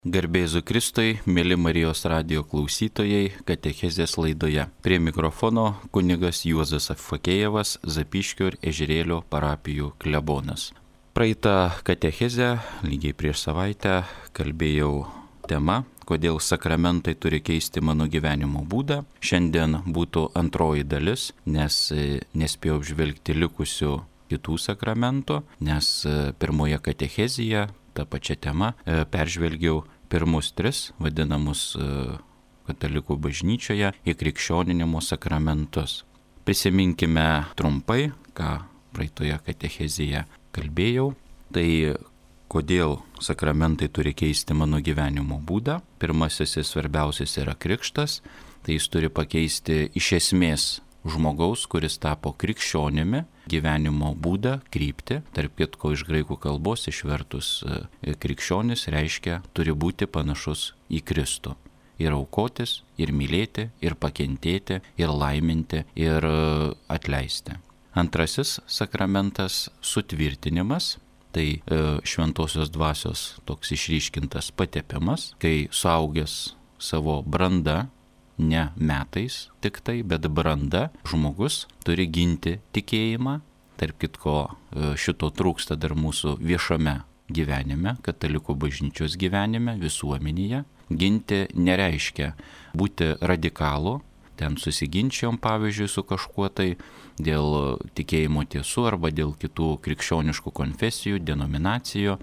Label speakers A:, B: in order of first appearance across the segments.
A: Garbėzu Kristui, mėly Marijos radijo klausytojai, katechezės laidoje. Prie mikrofono kunigas Juozas Fakėjevas, Zapyškio ir Ežerėlio parapijų klebonas. Praeitą katechezę, lygiai prieš savaitę, kalbėjau tema, kodėl sakramentai turi keisti mano gyvenimo būdą. Šiandien būtų antroji dalis, nes nespėjau apžvelgti likusių kitų sakramentų, nes pirmoje katechezėje tą pačią temą peržvelgiau pirmus tris vadinamus katalikų bažnyčioje įkrikščioninimo sakramentus. Prisiminkime trumpai, ką praeitoje katechezėje kalbėjau. Tai kodėl sakramentai turi keisti mano gyvenimo būdą. Pirmasis ir svarbiausias yra krikštas. Tai jis turi pakeisti iš esmės žmogaus, kuris tapo krikščionimi, gyvenimo būdą, kryptį. Tarp kitko iš graikų kalbos išvertus krikščionis reiškia turi būti panašus į Kristų. Ir aukotis, ir mylėti, ir pakentėti, ir laiminti, ir atleisti. Antrasis sakramentas - sutvirtinimas. Tai šventosios dvasios toks išryškintas patepimas, kai suaugęs savo brandą, ne metais tik tai, bet branda, žmogus turi ginti tikėjimą. Tarp kitko šito trūksta dar mūsų viešame gyvenime, katalikų bažnyčios gyvenime, visuomenėje. Ginti nereiškia būti radikalu. Ten susiginčiom, pavyzdžiui, su kažkuo tai dėl tikėjimo tiesų arba dėl kitų krikščioniškų konfesijų, denominacijų.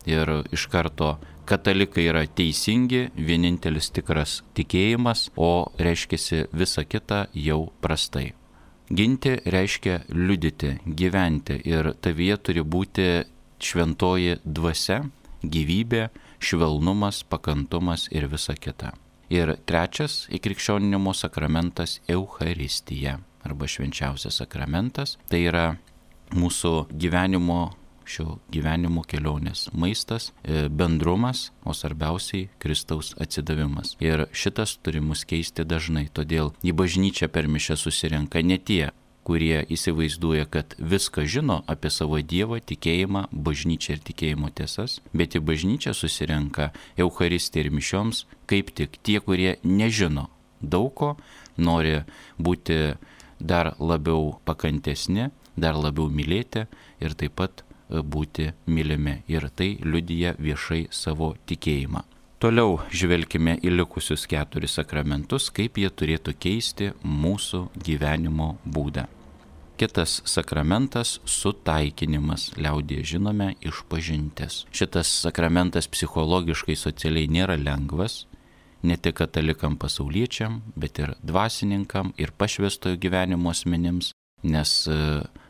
A: Ir iš karto katalikai yra teisingi, vienintelis tikras tikėjimas, o reiškiasi visa kita jau prastai. Ginti reiškia liudyti, gyventi ir tavyje turi būti šventoji dvasia, gyvybė, švelnumas, pakantumas ir visa kita. Ir trečias įkrikščioninimo sakramentas - Eucharistija arba švenčiausias sakramentas. Tai yra mūsų šio gyvenimo kelionės maistas, bendrumas, o svarbiausiai Kristaus atsidavimas. Ir šitas turi mus keisti dažnai, todėl į bažnyčią per mišias susirenka ne tie, kurie įsivaizduoja, kad viską žino apie savo Dievą, tikėjimą, bažnyčią ir tikėjimo tiesas, bet į bažnyčią susirenka Eucharistijai ir mišioms kaip tik tie, kurie nežino daug ko, nori būti dar labiau pakantesni, dar labiau mylėti ir taip pat būti mylimi. Ir tai liudija viešai savo tikėjimą. Toliau žvelkime į likusius 4 sakramentus, kaip jie turėtų keisti mūsų gyvenimo būdą. Kitas sakramentas - sutaikinimas, liaudyje žinome išpažintis. Šitas sakramentas psichologiškai, socialiai nėra lengvas, ne tik katalikam pasauliečiam, bet ir dvasininkam ir pašvęstojo gyvenimo asmenims, nes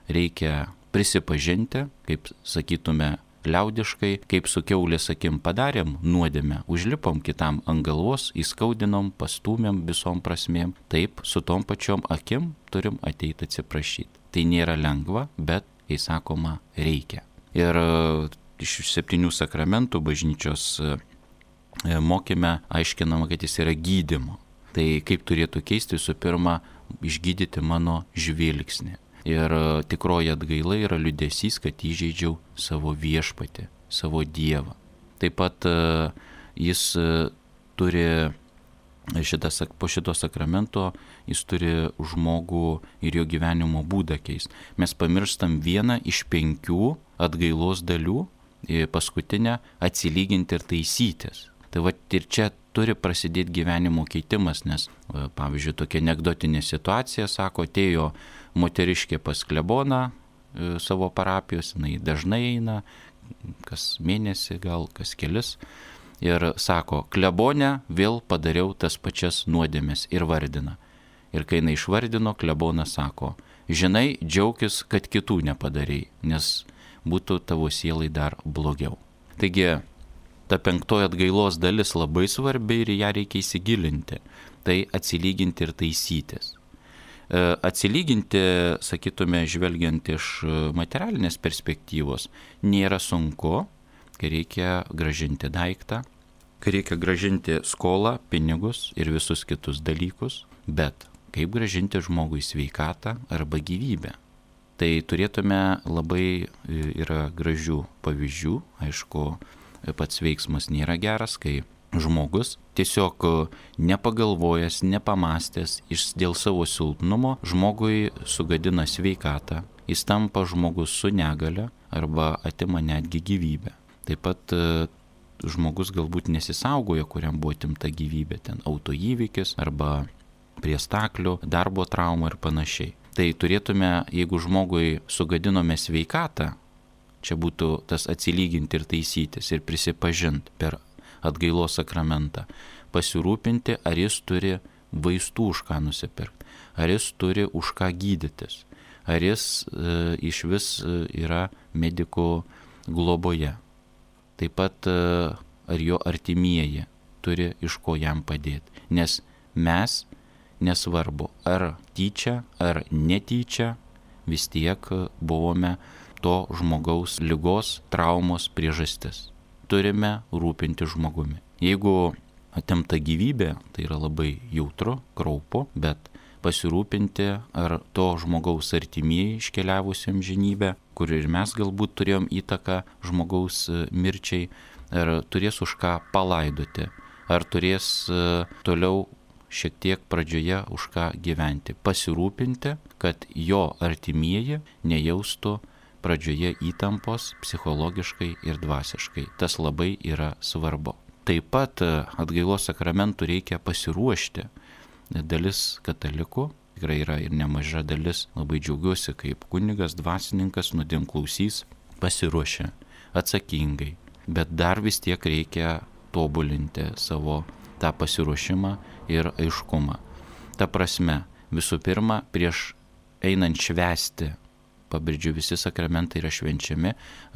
A: reikia prisipažinti, kaip sakytume liaudiškai, kaip su kiaulės akim padarėm nuodėmę, užlipom kitam ant galvos, įskaudinom, pastūmėm visom prasmėm, taip su tom pačiom akim turim ateiti atsiprašyti. Tai nėra lengva, bet, kai sakoma, reikia. Ir iš 7 sakramentų bažnyčios mokyme aiškinama, kad jis yra gydymo. Tai kaip turėtų keisti, visų pirma, išgydyti mano žvilgsnį. Ir tikroji atgaila yra liūdesys, kad įžeidžiau savo viešpatį, savo Dievą. Taip pat jis turi, po šito sakramento, jis turi žmogų ir jo gyvenimo būdą keisti. Mes pamirštam vieną iš 5 atgailos dalių, paskutinę - atsilyginti ir taisytis. Tai va ir čia turi prasidėti gyvenimo keitimas, nes, pavyzdžiui, tokia anekdotinė situacija, sako, atėjo moteriškė pas kleboną savo parapijos, jinai dažnai eina, kas mėnesį, gal kas kelis, ir sako, klebone vėl padariau tas pačias nuodėmes ir vardina. Ir kai jinai išvardino, klebonas sako, žinai, džiaukis, kad kitų nepadarei, nes būtų tavo sielai dar blogiau. Taigi, ta 5 atgailos dalis labai svarbi ir ją reikia įsigilinti. Tai atsilyginti ir taisytis. Atsilyginti, sakytume, žvelgiant iš materialinės perspektyvos, nėra sunku, kai reikia gražinti daiktą, kai reikia gražinti skolą, pinigus ir visus kitus dalykus, bet kaip gražinti žmogui sveikatą arba gyvybę. Tai turėtume labai yra gražių pavyzdžių, aišku, pats veiksmas nėra geras, kai žmogus tiesiog nepagalvojęs, nepamastęs dėl savo silpnumo žmogui sugadina sveikatą, jis tampa žmogus su negale arba atima netgi gyvybę. Taip pat žmogus galbūt nesisaugojo, kuriam buvo atimta gyvybė, ten autoįvykis arba prie staklių, darbo trauma ir panašiai. Tai turėtume, jeigu žmogui sugadinome sveikatą, čia būtų tas atsilyginti ir taisytis ir prisipažinti per atgailos sakramentą, pasirūpinti, ar jis turi vaistų už ką nusipirkti, ar jis turi už ką gydytis, ar jis iš vis yra medikų globoje. Taip pat ar jo artimieji turi iš ko jam padėti. Nes mes, nesvarbu, ar tyčia, ar netyčia, vis tiek buvome to žmogaus ligos, traumos priežastis. Turime rūpinti žmogumi. Jeigu atimta gyvybė, tai yra labai jautru, kraupu, bet pasirūpinti, ar to žmogaus artimieji iškeliavusiam žinybę, kur ir mes galbūt turėjom įtaką žmogaus mirčiai, ar turės už ką palaidoti, ar turės toliau šiek tiek pradžioje už ką gyventi. Pasirūpinti, kad jo artimieji nejaustų pradžioje įtampos psichologiškai ir dvasiškai. Tas labai yra svarbu. Taip pat atgailos sakramentų reikia pasiruošti. Dalis katalikų, tikrai yra ir nemaža dalis, labai džiaugiuosi, kaip kunigas, dvasininkas, nuodėmklausys, pasiruošia atsakingai. Bet dar vis tiek reikia tobulinti savo tą pasiruošimą ir aiškumą. Ta prasme, visų pirma, prieš einant švęsti, pabrėžiu, visi sakramentai yra švenčiami,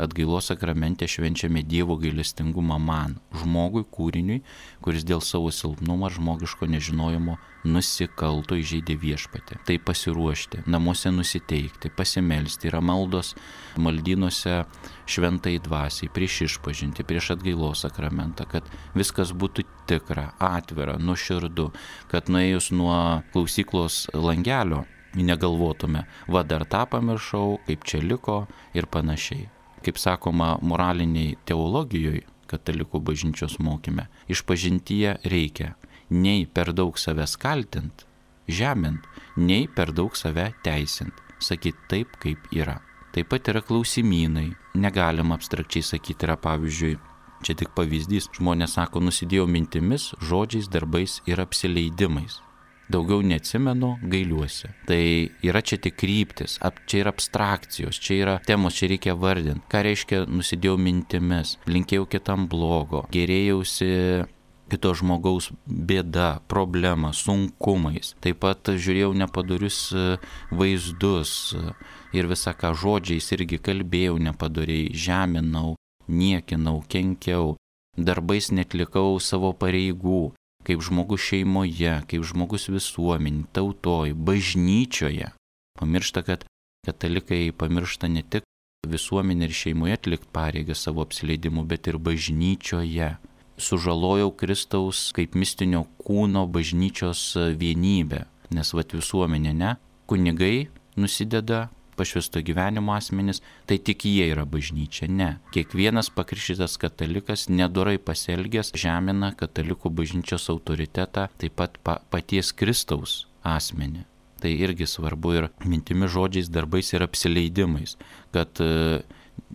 A: atgailos sakramente švenčiame Dievo gailestingumą man, žmogui, kūriniui, kuris dėl savo silpnumo ar žmogiško nežinojimo nusikalto, įžeidė viešpatį. Tai pasiruošti, namuose nusiteikti, pasimelsti, yra maldos maldynuose šventai dvasiai, prieš išpažinti, prieš atgailos sakramentą, kad viskas būtų tikra, atvira, nuoširdu, kad nuėjus nuo klausyklos langelio negalvotume, va dar tą pamiršau, kaip čia liko ir panašiai. Kaip sakoma moraliniai teologijoje, katalikų bažnyčios mokyme, išpažintyje reikia nei per daug savęs kaltint, žemint, nei per daug save teisint, sakyti taip, kaip yra. Taip pat yra klausimynai, negalima abstrakčiai sakyti, yra pavyzdžiui, čia tik pavyzdys, žmonės sako, nusidėjau mintimis, žodžiais, darbais ir apsileidimais. Daugiau neatsimenu, gailiuosi. Tai yra čia tik kryptis, čia yra abstrakcijos, čia yra temos, čia reikia vardinti. Ką reiškia nusidėjau mintimis, linkėjau kitam blogo, gerėjausi kito žmogaus bėda, problema, sunkumais. Taip pat žiūrėjau nepadorius vaizdus ir visą ką žodžiais irgi kalbėjau nepadoriai, žeminau, niekinau, kenkiau, darbais netlikau savo pareigų. Kaip žmogus šeimoje, kaip žmogus visuomenė, tautoj, bažnyčioje. Pamiršta, kad katalikai pamiršta ne tik visuomenė ir šeimoje atlikti pareigą savo apsileidimu, bet ir bažnyčioje. Sužalojau Kristaus kaip mistinio kūno bažnyčios vienybę, nes visuomenė ne, kunigai nusideda, pašvęsto gyvenimo asmenys, tai tik jie yra bažnyčia. Ne. Kiekvienas pakrikštytas katalikas nedorai pasielgęs žemina katalikų bažnyčios autoritetą, taip pat paties Kristaus asmenį. Tai irgi svarbu ir mintimi, žodžiais, darbais ir apsileidimais, kad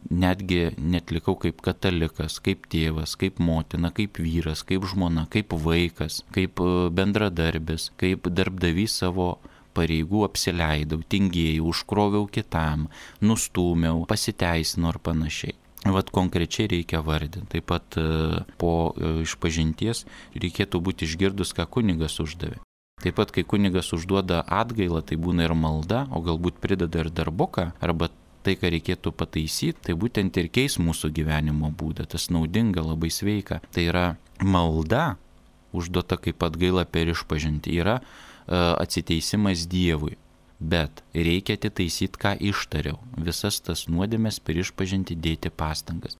A: netgi netlikau kaip katalikas, kaip tėvas, kaip motina, kaip vyras, kaip žmona, kaip vaikas, kaip bendradarbis, kaip darbdavys savo pareigų apsileidau, tingėjau, užkroviau kitam, nustūmiau, pasiteisinau ir panašiai. Vat konkrečiai reikia vardinti. Taip pat po išpažinties reikėtų būti išgirdus, ką kunigas uždavė. Taip pat, kai kunigas užduoda atgailą, tai būna ir malda, o galbūt prideda ir darbuką, arba tai, ką reikėtų pataisyti, tai būtent ir keis mūsų gyvenimo būdą. Tas naudinga, labai sveika. Tai yra malda, užduota kaip atgaila per išpažintį, yra atsiteisimas Dievui, bet reikia atitaisyti, ką ištariau. Visas tas nuodėmes per išpažintį dėti pastangas.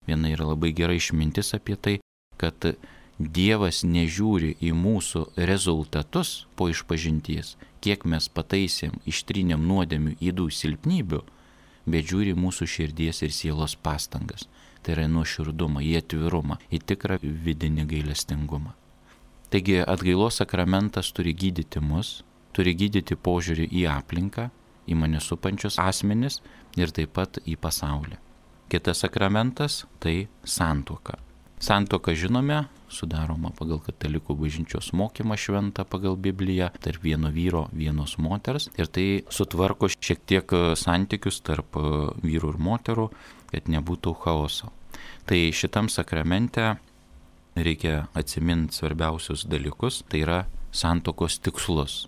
A: Viena yra labai gera išmintis apie tai, kad Dievas nežiūri į mūsų rezultatus po išpažinties, kiek mes pataisėm, ištrynėm nuodėmių, ydų, silpnybių, bet žiūri mūsų širdies ir sielos pastangas. tai yra nuoširdumą, į atvirumą, į tikrą vidinį gailestingumą. Taigi atgailos sakramentas turi gydyti mus, turi gydyti požiūrį į aplinką, į mane supančius asmenis ir taip pat į pasaulį. Kitas sakramentas tai santuoka. Santuoka, žinome, sudaroma pagal katalikų bažnyčios mokymą šventą pagal Bibliją tarp vieno vyro, vienos moters, ir tai sutvarko šiek tiek santykius tarp vyrų ir moterų, kad nebūtų chaoso. Tai šitam sakramente reikia atsiminti svarbiausius dalykus, tai yra santuokos tikslus.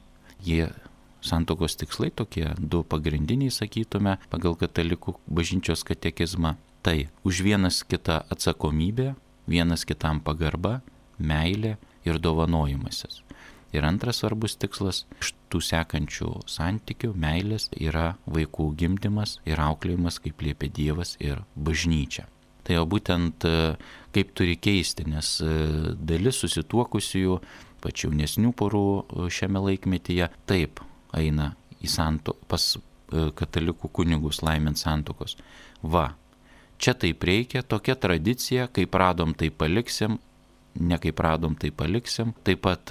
A: Santuokos tikslai tokie du pagrindiniai, sakytume, pagal katalikų bažnyčios katekizmą. Tai už vienas kitą atsakomybė, vienas kitam pagarba, meilė ir dovanojimasis. Ir antras svarbus tikslas iš tų sekančių santykių, meilės, yra vaikų gimdymas ir auklėjimas, kaip liepia Dievas ir bažnyčia. Tai jau būtent kaip turi keisti, nes dalis susituokusiųjų, pačių jaunesnių porų šiame laikmetyje, taip eina pas katalikų kunigus laimint santuokos. Čia taip reikia, tokia tradicija, kaip radom, tai paliksim, ne kaip radom, tai paliksim. Taip pat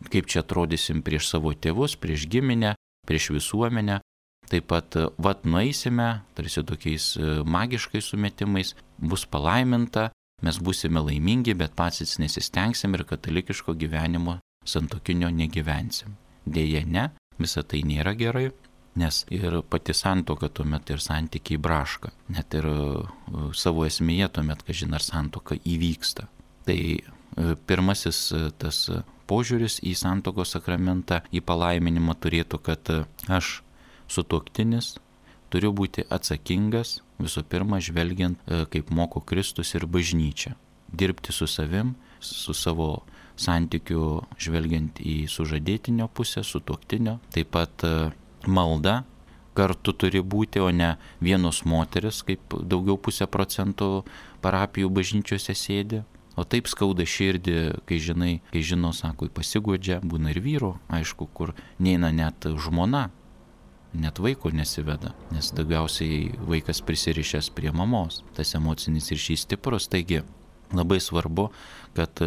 A: kaip čia atrodysim prieš savo tėvus, prieš giminę, prieš visuomenę. Taip pat nueisime, tarsi tokiais magiškais sumetimais, bus palaiminta, mes būsime laimingi, bet patys nesistengsim ir katalikiško gyvenimo santuokinio negyvensim. Deja ne, visa tai nėra gerai. Nes ir pati santuoka tuomet ir santykiai braška, net ir savo esmėje tuomet, kažin ar santuoka įvyksta. Tai pirmasis tas požiūris į santuokos sakramentą, į palaiminimą turėtų, kad aš sutuoktinis turiu būti atsakingas, visų pirma, žvelgiant, kaip moko Kristus ir bažnyčia. Dirbti su savim, su savo santykiu, žvelgiant į sužadėtinio pusę, sutuoktinio, taip pat malda kartu turi būti, o ne vienos moteris, kaip daugiau 0,5% parapijų bažnyčiose sėdi. O taip skauda širdį, kai žino, sako, pasiguodžia, būna ir vyro, aišku, kur neina net žmona, net vaiko nesiveda, nes daugiausiai vaikas prisirišęs prie mamos, tas emocinis ryšys stiprus. Taigi labai svarbu, kad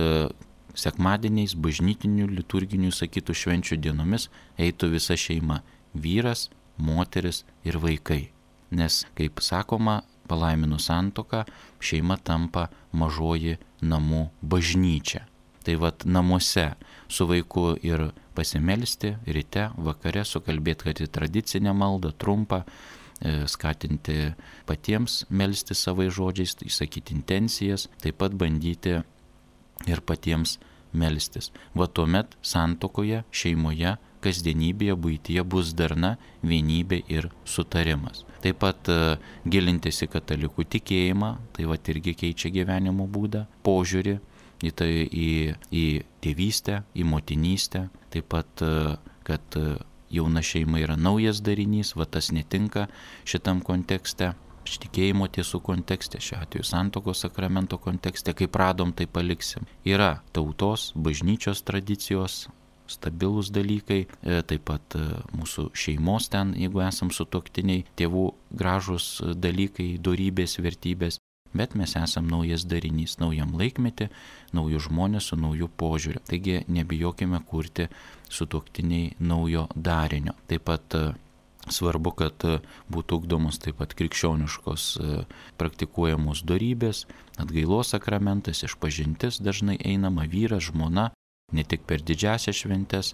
A: sekmadieniais, bažnytinių, liturginių, sakytų, švenčių dienomis eitų visa šeima. Vyras, moteris ir vaikai. Nes, kaip sakoma, palaiminus santuoką, šeima tampa mažoji namų bažnyčia. Tai namuose su vaiku ir pasimelsti ryte, vakare, sukalbėti, kad į tradicinę maldą trumpą, skatinti patiems melsti savais žodžiais, išsakyti intencijas, taip pat bandyti ir patiems melstis. Tuomet santuokoje, šeimoje, kasdienybėje, buityje bus darna, vienybė ir sutarimas. Taip pat gilintis į katalikų tikėjimą, tai irgi keičia gyvenimo būdą, požiūrį į tėvystę, į motinystę. Taip pat, kad jauna šeima yra naujas darinys, tas netinka šitam kontekste, tikėjimo tiesų kontekste, šiuo atveju santuokos sakramento kontekste, kaip radom, tai paliksim. Yra tautos, bažnyčios tradicijos, stabilūs dalykai, taip pat mūsų šeimos ten, jeigu esam sutuoktiniai, tėvų gražus dalykai, dorybės, vertybės, bet mes esam naujas darinys, naujam laikmetį, naujų žmonės su naujų požiūriu. Taigi nebijokime kurti sutuoktiniai naujo darinio. Taip pat svarbu, kad būtų ugdomos taip pat krikščioniškos praktikuojamos dorybės, atgailos sakramentas, išpažintis dažnai einama, vyras, žmona, ne tik per didžiąsias šventes,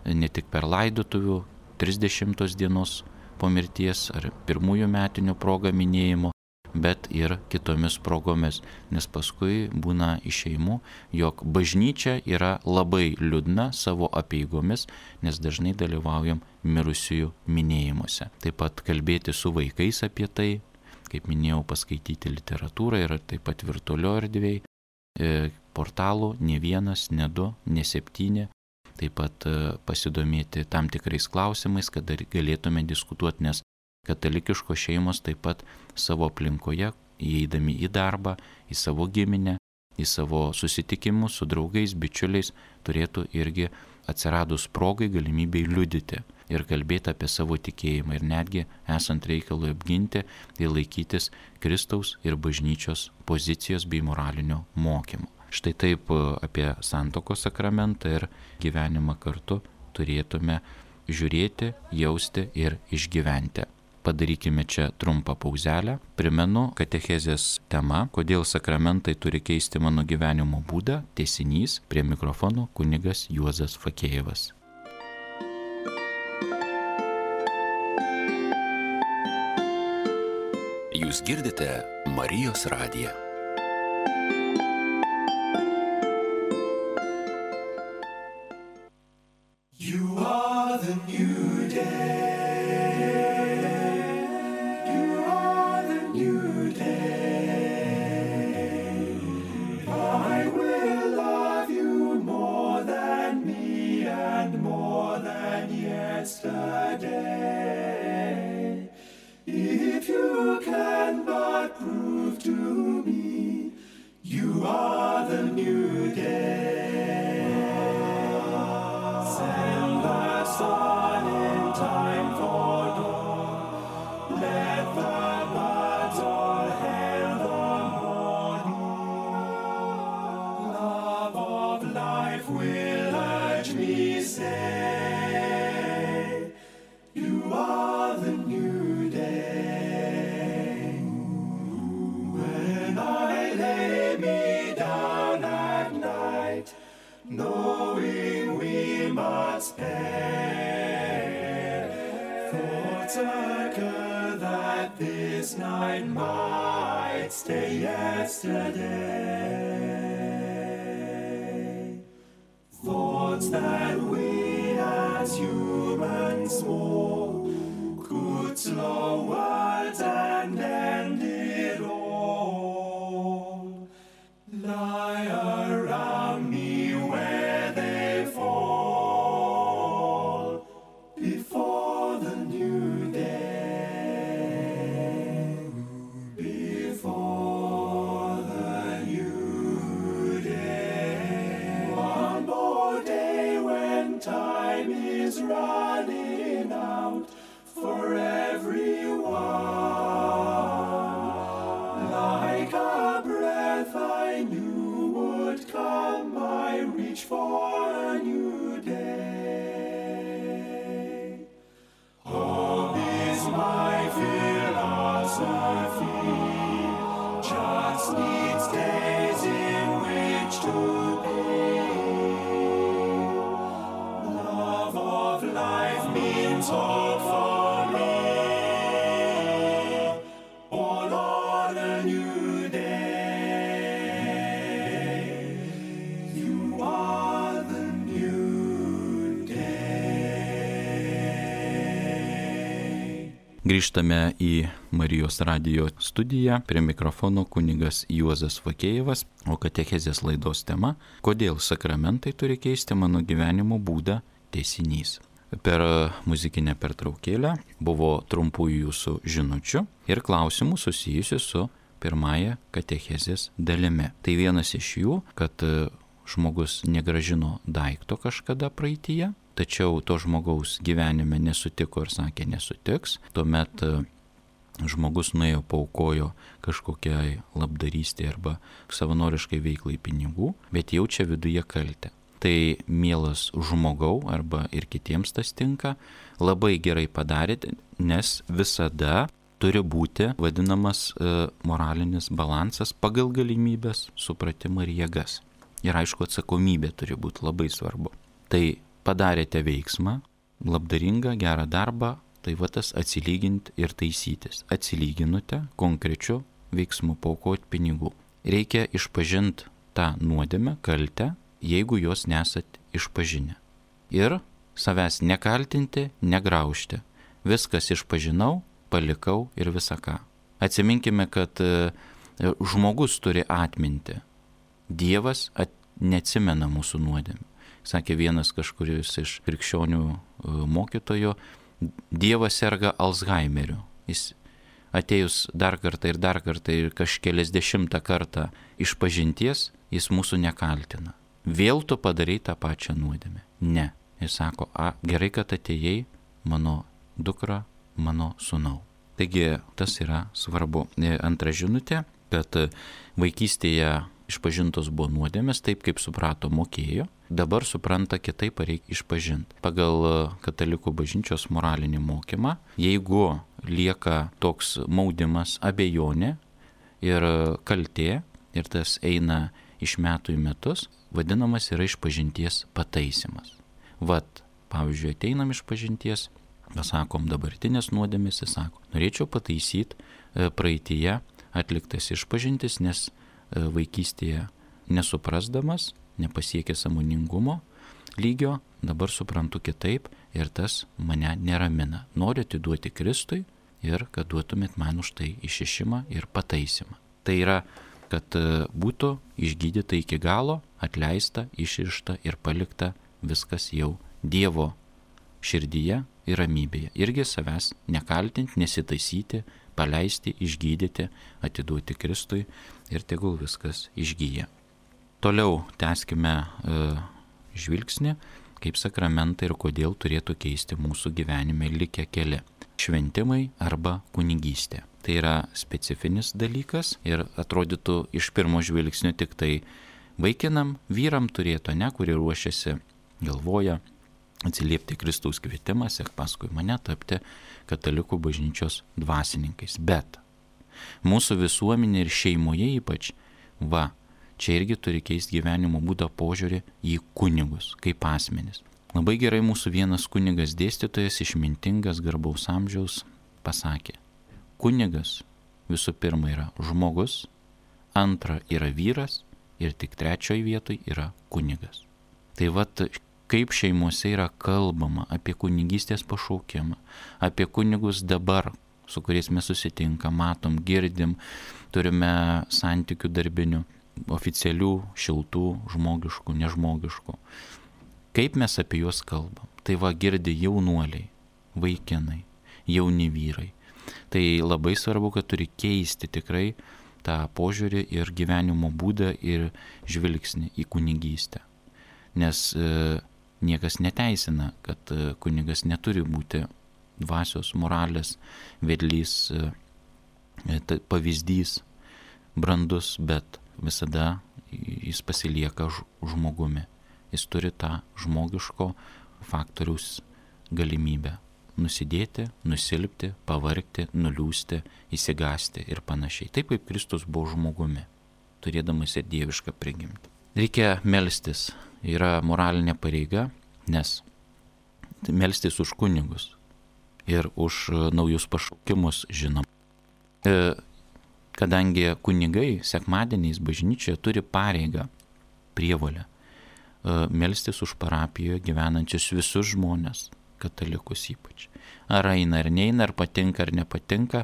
A: ne tik per laidotuvių 30 dienos po mirties ar pirmųjų metinių progą minėjimo, bet ir kitomis progomis, nes paskui būna išeimų, jog bažnyčia yra labai liūdna savo apeigomis, nes dažnai dalyvaujam mirusiųjų minėjimuose. Taip pat kalbėti su vaikais apie tai, kaip minėjau, paskaityti literatūrą ir taip pat virtualio erdvėj, portalų ne 1, ne 2, ne 7, taip pat pasidomėti tam tikrais klausimais, kad galėtume diskutuoti, nes katalikiškos šeimos taip pat savo aplinkoje, įeidami į darbą, į savo giminę, į savo susitikimus su draugais, bičiuliais, turėtų irgi atsiradus progai galimybei liudyti ir kalbėti apie savo tikėjimą ir netgi esant reikalui apginti ir laikytis Kristaus ir bažnyčios pozicijos bei moralinio mokymo. Štai taip apie santuokos sakramentą ir gyvenimą kartu turėtume žiūrėti, jausti ir išgyventi. Padarykime čia trumpą pauzelę. Primenu, katechezės tema, kodėl sakramentai turi keisti mano gyvenimo būdą, tęsinys, prie mikrofono kunigas Juozas Fakėjevas.
B: Jūs girdite Marijos radiją.
C: You are the new day. Yesterday, if you cannot prove to me, you are the new day. Send the sun in time for dawn, let the birds all hail the morning. Love of life will urge me, say, you are the new day. When I lay me down at night, knowing we must perish, thoughts occur that this night might stay yesterday. Thoughts that we as humans small could slow words and end it all, lie around me where they fall before the new day, before the new day. One more day when time is running out for everyone. Like a breath I knew would come, I reach for a new day. Hope is my philosophy, just needs days in which to be. Love of life means hope for me, all on a new day. You are the new day.
A: Grįžtame į Marijos radijo studiją, prie mikrofono kunigas Juozas Fakėjevas, o katechezės laidos tema – kodėl sakramentai turi keisti mano gyvenimo būdą, tęsinys. Per muzikinę pertraukėlę buvo trumpųjų jūsų žinučių ir klausimų susijusių su pirmąja katechezės dalimi. Tai vienas iš jų, kad žmogus negrąžino daikto kažkada praeityje, tačiau to žmogaus gyvenime nesutiko ir sakė nesutiks, tuomet žmogus nuėjo paaukojo kažkokiai labdarystė arba savanoriškai veiklai pinigų, bet jaučia viduje kaltę. Tai mielas žmogau arba ir kitiems tas tinka, labai gerai padarėte, nes visada turi būti vadinamas moralinis balansas pagal galimybės, supratimą ir jėgas. Ir aišku, atsakomybė turi būti labai svarbu. Tai padarėte veiksmą, labdaringą, gerą darbą, tai va tas atsilyginti ir taisytis. Atsilyginote konkrečiu veiksmu, paaukoti pinigų. Reikia išpažinti tą nuodėmę, kaltę, jeigu jos nesat išpažinę. Ir savęs nekaltinti, negraužti. Viskas išpažinau, palikau ir visą ką. Atsiminkime, kad žmogus turi atminti. Dievas neatsimena mūsų nuodėmių. Sakė vienas kažkuris iš krikščionių mokytojo, Dievas serga Alzheimeriu. Jis atėjus dar kartą ir kažkeliasdešimtą kartą išpažinties, jis mūsų nekaltina. Vėl tu padarai tą pačią nuodėmę. Ne. Jis sako, gerai, kad atėjai, mano dukra, mano sūnau. Taigi tas yra svarbu. Antra žinutė, kad vaikystėje išpažintos buvo nuodėmės, taip kaip suprato, mokėjo, dabar supranta kitaip, reikia išpažinti. Pagal katalikų bažnyčios moralinį mokymą, jeigu lieka toks maudimas, abejonė ir kaltė, ir tas eina iš metų į metus, vadinamas yra išpažinties pataisimas. Vat, pavyzdžiui, ateinam išpažinties, pasakom dabartinės nuodėmės, jis sako, norėčiau pataisyti praeityje atliktas išpažintis, nes vaikystėje nesuprasdamas, nepasiekė sąmoningumo lygio, dabar suprantu kitaip ir tas mane neramina. Noriu atiduoti Kristui ir kad duotumėt man už tai išrišimą ir pataisimą. Tai yra, kad būtų išgydyta iki galo, atleista, išrišta ir palikta viskas jau Dievo širdyje ir ramybėje. Irgi savęs nekaltinti, nesitaisyti, paleisti, išgydyti, atiduoti Kristui ir tegul viskas išgyja. Toliau tęskime žvilgsnį, kaip sakramentai ir kodėl turėtų keisti mūsų gyvenime likę keli. Šventimai arba kunigystė. Tai yra specifinis dalykas ir atrodytų iš pirmo žvilgsnio tik tai vaikinam, vyram turėtų, kurie ruošiasi, galvoja, atsiliepti Kristaus kvietimą, sek paskui mane tapti katalikų bažnyčios dvasininkais. Bet mūsų visuomenė ir šeimoje ypač, čia irgi turi keisti gyvenimo būdą požiūrį į kunigus, kaip asmenis. Labai gerai mūsų vienas kunigas dėstytojas, išmintingas, garbaus amžiaus, pasakė, kunigas visų pirma yra žmogus, antra yra vyras ir tik trečioje vietoje yra kunigas. Tai kaip šeimose yra kalbama apie kunigystės pašaukimą, apie kunigus dabar, su kuriais mes susitinkam, matom, girdim, turime santykių darbinių, oficialių, šiltų, žmogiškų, nežmogiškų. Kaip mes apie juos kalbam? Tai girdi jaunuoliai, vaikinai, jauni vyrai. Tai labai svarbu, kad turi keisti tikrai tą požiūrį ir gyvenimo būdą ir žvilgsnį į kunigystę. Nes niekas neteisina, kad kunigas neturi būti dvasios, moralės, vedlys, pavyzdys, brandus, bet visada jis pasilieka žmogumi. Jis turi tą žmogiško faktoriaus galimybę nusidėti, nusilpti, pavargti, nuliūsti, įsigasti ir panašiai. Taip kaip Kristus buvo žmogumi, turėdamas ir dievišką prigimtį. Reikia melstis. Yra moralinė pareiga, nes melstis už kunigus ir už naujus pašaukimus žinom. Kadangi kunigai sekmadieniais bažnyčioje turi pareigą, prievolę melstis už parapijoje gyvenančius visus žmonės, katalikus ypač. Ar eina ar neina, ar patinka ar nepatinka,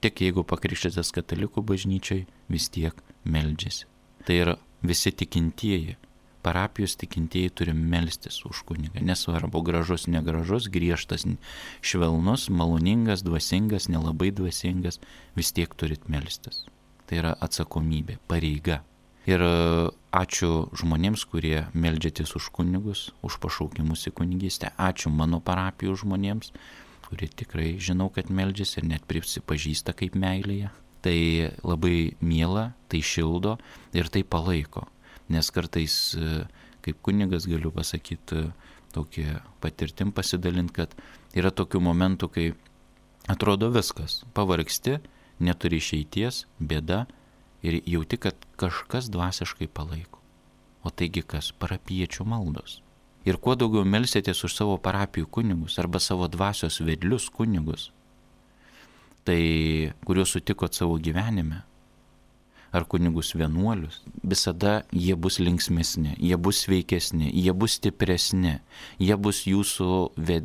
A: tik jeigu pakrikštytas katalikų bažnyčiai, vis tiek meldžiasi. Tai yra visi tikintieji. Parapijos tikintieji turi melstis už kunigą. Nesvarbu, gražus, negražus, griežtas, švelnus, maloningas, dvasingas, nelabai dvasingas, vis tiek turit melstis. Tai yra atsakomybė, pareiga. Ir ačiū žmonėms, kurie meldžiatės už kunigus, už pašaukimus į kunigystę. Ačiū mano parapijų žmonėms, kurie tikrai žinau, kad meldžiasi ir net prisipažįsta kaip meilėje. Tai labai miela, tai šildo ir tai palaiko. Nes kartais, kaip kunigas galiu pasakyti, tokį patirtim pasidalinti, kad yra tokių momentų, kai atrodo viskas, pavargsti, neturi išeities, bėda ir jauti, kad kažkas dvasiškai palaiko. O taigi kas? Parapiečių maldos. Ir kuo daugiau melsitės už savo parapijų kunigus arba savo dvasios vedlius kunigus, tai kuriuos sutikot savo gyvenime, ar kunigus vienuolius, visada jie bus linksmesni, jie bus sveikesni, jie bus stipresni, jie bus jūsų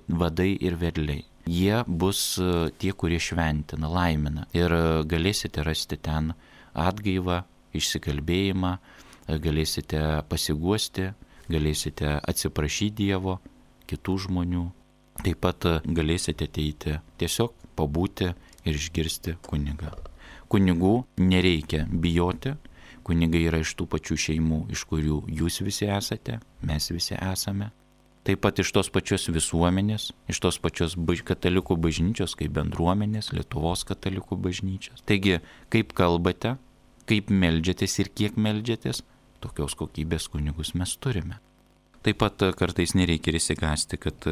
A: vadai ir vedliai. Jie bus tie, kurie šventina, laimina ir galėsite rasti ten atgaivą, išsikalbėjimą, galėsite pasiguosti, galėsite atsiprašyti Dievo, kitų žmonių. Taip pat galėsite ateiti tiesiog pabūti ir išgirsti kunigą. Kunigų nereikia bijoti, kunigai yra iš tų pačių šeimų, iš kurių jūs visi esate, mes visi esame. Taip pat iš tos pačios visuomenės, iš tos pačios katalikų bažnyčios, kaip bendruomenės, Lietuvos katalikų bažnyčios. Taigi, kaip kalbate, kaip meldžiatės ir kiek meldžiatės, tokios kokybės kunigus mes turime. Taip pat kartais nereikia įsigąsti, kad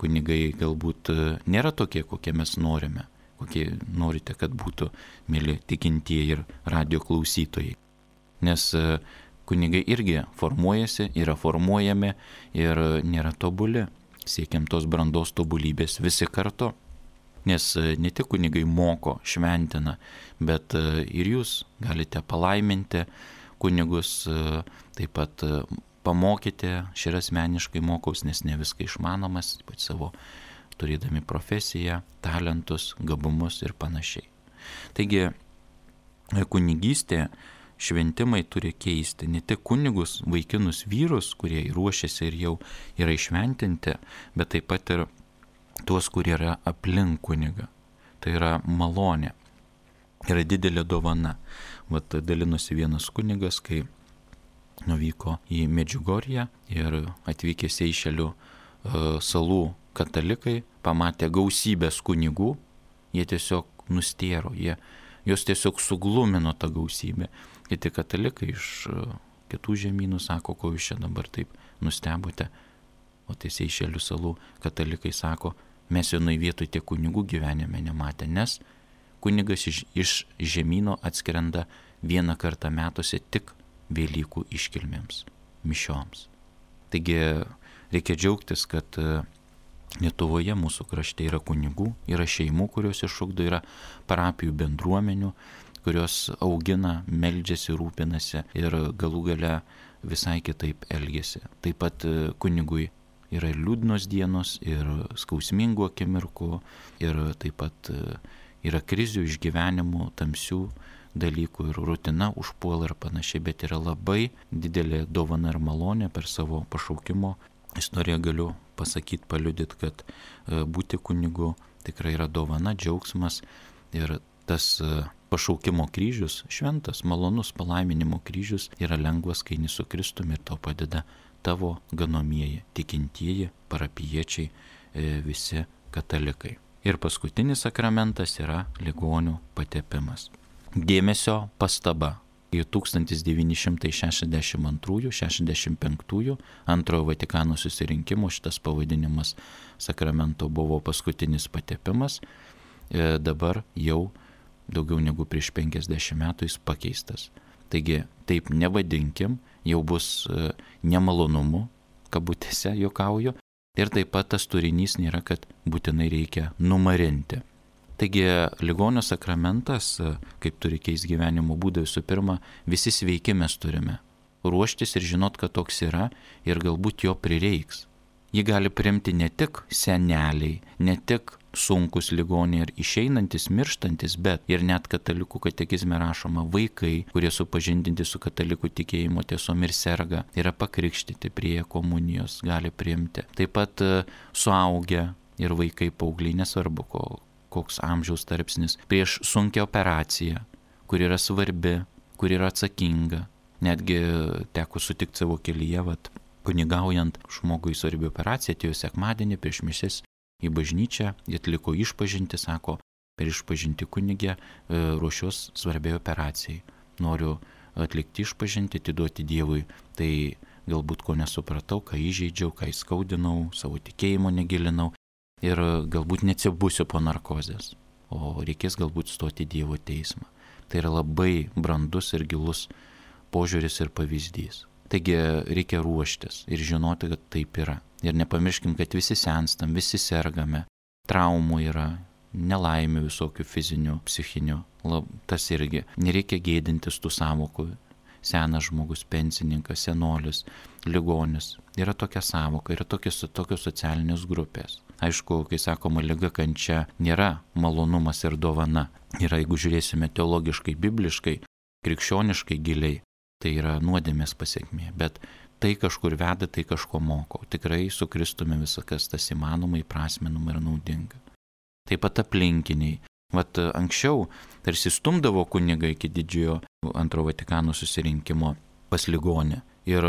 A: kunigai galbūt nėra tokie, kokie mes norime, kokie norite, kad būtų, mėly tikintieji ir radio klausytojai. Nes kunigai irgi formuojasi, yra formuojami ir nėra tobuli. Siekiam tos brandos tobulybės visi kartu. Nes ne tik kunigai moko, šventina, bet ir jūs galite palaiminti kunigus, taip pat pamokyti. Aš ir asmeniškai mokaus, nes ne viską išmanomas, ypač savo turėdami profesiją, talentus, gabumus ir panašiai. Taigi, kunigystė, šventimai turi keisti ne tik kunigus, vaikinus vyrus, kurie ruošiasi ir jau yra išventinti, bet taip pat ir tuos, kurie yra aplink kunigą. Tai yra malonė, yra didelė dovana. Vat dalinosi vienas kunigas, kai nuvyko į Medžiugorję ir atvykę Seišelių salų katalikai pamatė gausybės kunigų, jie tiesiog nustėro, jos tiesiog suglumino tą gausybę. Kiti katalikai iš kitų žemynų sako, ko jūs čia dabar taip nustebote. O tai Seišelių salų katalikai sako, mes vienoj vietoj tiek kunigų gyvenime nematė, nes kunigas iš žemyno atskrenda vieną kartą metuose tik Velykų iškilmėms, mišioms. Taigi reikia džiaugtis, kad Lietuvoje mūsų krašte yra kunigų, yra šeimų, kurios išugdo, yra parapijų bendruomenių, kurios augina, meldžiasi, rūpinasi ir galų gale visai kitaip elgiasi. Taip pat kunigui yra ir liūdnos dienos, ir skausmingų akimirkų, ir taip pat yra krizių, išgyvenimų, tamsių dalykų ir rutina užpuola ir panašiai, bet yra labai didelė dovana ir malonė per savo pašaukimo istoriją. Galiu pasakyti, paliudyti, kad būti kunigu tikrai yra dovana, džiaugsmas ir tas pašaukimo kryžius, šventas, malonus palaiminimo kryžius yra lengvas, kai eini su Kristumi ir tau padeda tavo ganomieji, tikintieji, parapijiečiai, visi katalikai. Ir paskutinis sakramentas yra ligonių patepimas. Dėmesio pastaba. Į 1962-65 antrojo Vatikano susirinkimo šitas pavadinimas sakramento buvo paskutinis patepimas. Dabar jau daugiau negu prieš 50 metų jis pakeistas. Taigi taip nevadinkim, jau bus nemalonumų, kabutėse juokauju. Ir taip pat tas turinys nėra, kad būtinai reikia numarinti. Taigi ligonio sakramentas, kaip turi keisti gyvenimo būdą, visų pirma, visi sveiki mes turime ruoštis ir žinot, kad toks yra ir galbūt jo prireiks. Jį gali priimti ne tik seneliai, ne tik sunkus ligoniai ir išeinantis, mirštantis, bet ir net katalikų katekizme rašoma vaikai, kurie supažindinti su katalikų tikėjimo tiesom ir serga, yra pakrikštyti prie komunijos, gali priimti. Taip pat suaugę ir vaikai, paaugliai, nesvarbu koks amžiaus tarpsnis, prieš sunkią operaciją, kur yra svarbi, kur yra atsakinga. Netgi teko sutikti savo kelyje, kunigaujant žmogui svarbi operacija, atėjo sekmadienį prieš mišias į bažnyčią, jie atliko išpažintį, sako, per išpažintį kunigė ruošiuos svarbiai operacijai. Noriu atlikti išpažintį, atiduoti Dievui. Tai galbūt ko nesupratau, ką įžeidžiau, ką įskaudinau, savo tikėjimo negilinau. Ir galbūt neatsibusiu po narkozės, o reikės galbūt stoti Dievo teismą. Tai yra labai brandus ir gilus požiūris ir pavyzdys. Taigi reikia ruoštis ir žinoti, kad taip yra. Ir nepamirškim, kad visi senstam, visi sergame, traumų yra, nelaimių visokių fizinių, psichinių. Tas irgi. Nereikia gėdintis tų sąvokų. Senas žmogus, pensininkas, senolis, ligonis. Yra tokia sąvoka, yra tokios socialinės grupės. Aišku, kai sakoma liga, kančia nėra malonumas ir dovana. Yra, jeigu žiūrėsime teologiškai, bibliškai, krikščioniškai giliai, tai yra nuodėmės pasiekmė. Bet tai kažkur veda, tai kažko moko. Tikrai su Kristumi visakas tas įmanoma, įprasminama ir naudinga. Taip pat aplinkiniai. Vat anksčiau tarsi stumdavo kunigą iki didžiojo antrojo Vatikano susirinkimo pas ligonį ir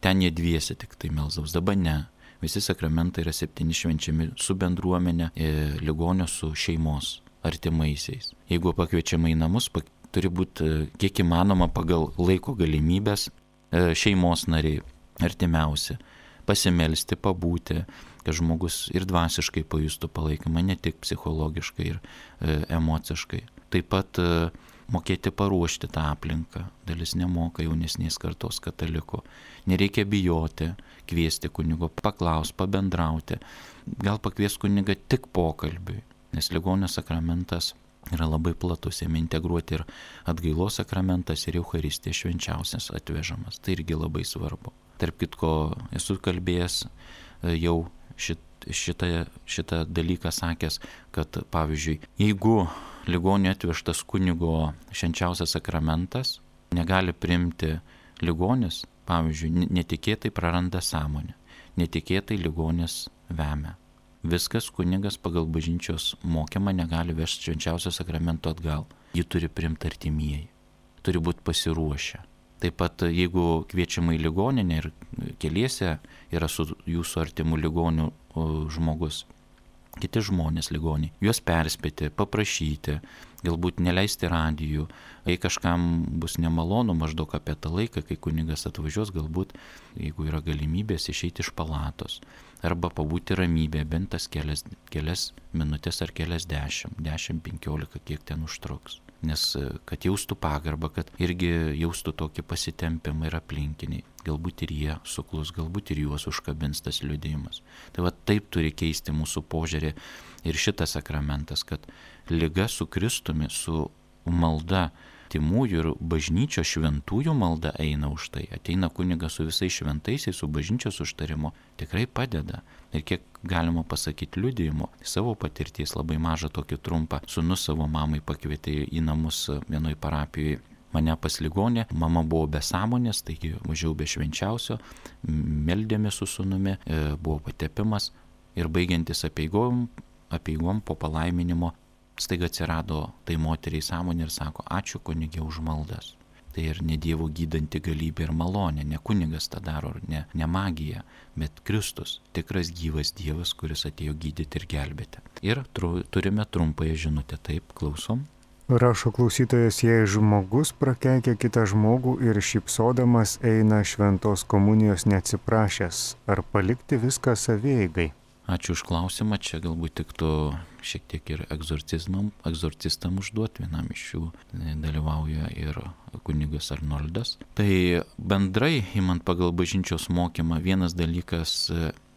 A: ten jie dviese tik tai melsdavos, dabar ne. Visi sakramentai yra 7 švenčiami su bendruomenė, ligonio su šeimos artimaisiais. Jeigu pakviečiama į namus, turi būti kiek įmanoma pagal laiko galimybės šeimos nariai artimiausi, pasimelsti, pabūti, kad žmogus ir dvasiškai pajustų palaikymą, ne tik psichologiškai ir emociškai. Taip pat mokėti paruošti tą aplinką. Dalis nemoka jaunesnės kartos katalikų. Nereikia bijoti, kviesti kunigo, paklaus, pabendrauti. Gal pakvies kunigą tik pokalbiui, nes ligonio sakramentas yra labai platus, jame integruoti ir atgailos sakramentas ir Eucharistija švenčiausias atvežamas. Tai irgi labai svarbu. Tarp kitko, esu kalbėjęs jau šitą dalyką sakęs, kad pavyzdžiui, jeigu ligonio atvežtas kunigo švenčiausias sakramentas negali priimti ligonis, pavyzdžiui, netikėtai praranda sąmonę, netikėtai ligonis vemia. Viskas kunigas pagal bažnyčios mokymą negali vežti švenčiausio sakramento atgal. Jį turi priimti artimieji, turi būti pasiruošę. Taip pat jeigu kviečiama į ligoninę ir keliese yra su jūsų artimu ligoniu žmogus, kiti žmonės ligoniai, juos perspėti, paprašyti, galbūt neleisti radijų, jei kažkam bus nemalonu maždaug apie tą laiką, kai kunigas atvažiuos, galbūt, jeigu yra galimybės, išeiti iš palatos, arba pabūti ramybėje, bent tas kelias minutės ar kelias 10-15, kiek ten užtruks. Nes kad jaustų pagarbą, kad irgi jaustų tokį pasitempimą ir aplinkiniai. Galbūt ir jie suklus, galbūt ir juos užkabins tas liudijimas. Tai va taip turi keisti mūsų požiūrį ir šitas sakramentas, kad liga su Kristumi, su malda timųjų ir bažnyčios šventųjų malda eina už tai. Ateina kunigas su visais šventaisiais, su bažnyčios užtarimu, tikrai padeda. Ir kiek galima pasakyti liudijimo, savo patirties labai mažą tokį trumpą. Sūnus savo mamai pakvietė į namus vienoj parapijoje mane pas ligonę, mama buvo be sąmonės, taigi važiavau be švenčiausio, meldėmės su sūnumi, buvo patepimas ir baigiantis apeigom po palaiminimo, staiga atsirado tai moteriai sąmonė ir sako, ačiū kunige už maldas. Tai ir ne Dievo gydanti galybė ir malonė, ne kunigas tą daro, ne magija, bet Kristus, tikras gyvas Dievas, kuris atėjo gydyti ir gelbėti. Ir turime trumpąją žinutę, taip, klausom.
D: Rašo klausytojas, jei žmogus prakeikia kitą žmogų ir šypsodamas eina šventos komunijos neatsiprašęs, ar palikti viską savieigai?
A: Ačiū už klausimą, čia galbūt tiktų šiek tiek ir egzorcistam užduoti, vienam iš jų dalyvauja ir kunigas Arnoldas. Tai bendrai, imant pagal bažnyčios mokymą, vienas dalykas,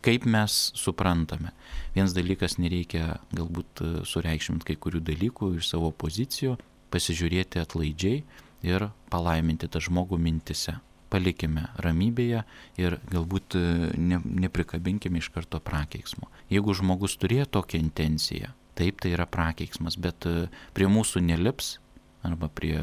A: kaip mes suprantame. Vienas dalykas, nereikia galbūt sureikšminti kai kurių dalykų iš savo pozicijų, pasižiūrėti atlaidžiai ir palaiminti tą žmogų mintise. Palikime ramybėje ir galbūt neprikabinkime iš karto prakeiksmo. Jeigu žmogus turėjo tokią intenciją, taip tai yra prakeiksmas, bet prie mūsų nelips arba prie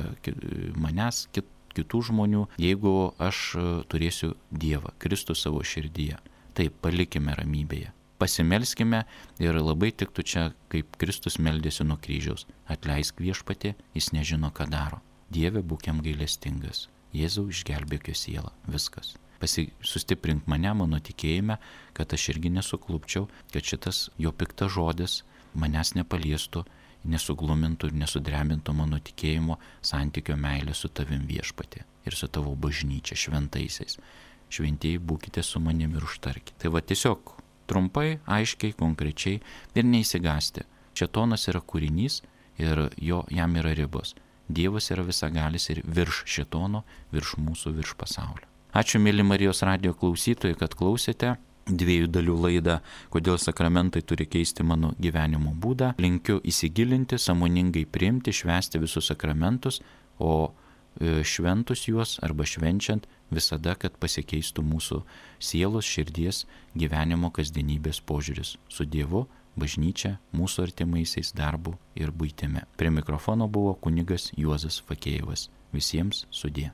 A: manęs, kitų žmonių, jeigu aš turėsiu Dievą, Kristų savo širdyje. Taip, palikime ramybėje. Pasimelskime ir labai tiktų čia, kaip Kristus meldėsi nuo kryžiaus. Atleisk viešpatie, jis nežino, ką daro. Dieve, būk jam gailestingas. Jėzau, išgelbėk jo sielą. Viskas. Sustiprink mane, mano tikėjime, kad aš irgi nesuklupčiau, kad šitas jo piktas žodis manęs nepaliestų, nesuglumintų ir nesudrebintų mano tikėjimo santykio meilę su tavim viešpatie ir su tavo bažnyčia šventaisiais. Šventieji, būkite su manimi ir užtarkite. Tai va tiesiog trumpai, aiškiai, konkrečiai ir neįsigasti. Šėtonas yra kūrinys ir jam yra ribos. Dievas yra visagalis ir virš šėtono, virš mūsų, virš pasaulio. Ačiū, mėly Marijos radijo klausytojai, kad klausėte 2 dalių laidą, kodėl sakramentai turi keisti mano gyvenimo būdą. Linkiu įsigilinti, sąmoningai priimti, švęsti visus sakramentus, o šventus juos arba švenčiant visada, kad pasikeistų mūsų sielos, širdies, gyvenimo, kasdienybės požiūris su Dievu, bažnyčia, mūsų artimaisiais, darbu ir buitimi. Prie mikrofono buvo kunigas Juozas Fakėjevas. Visiems sudie.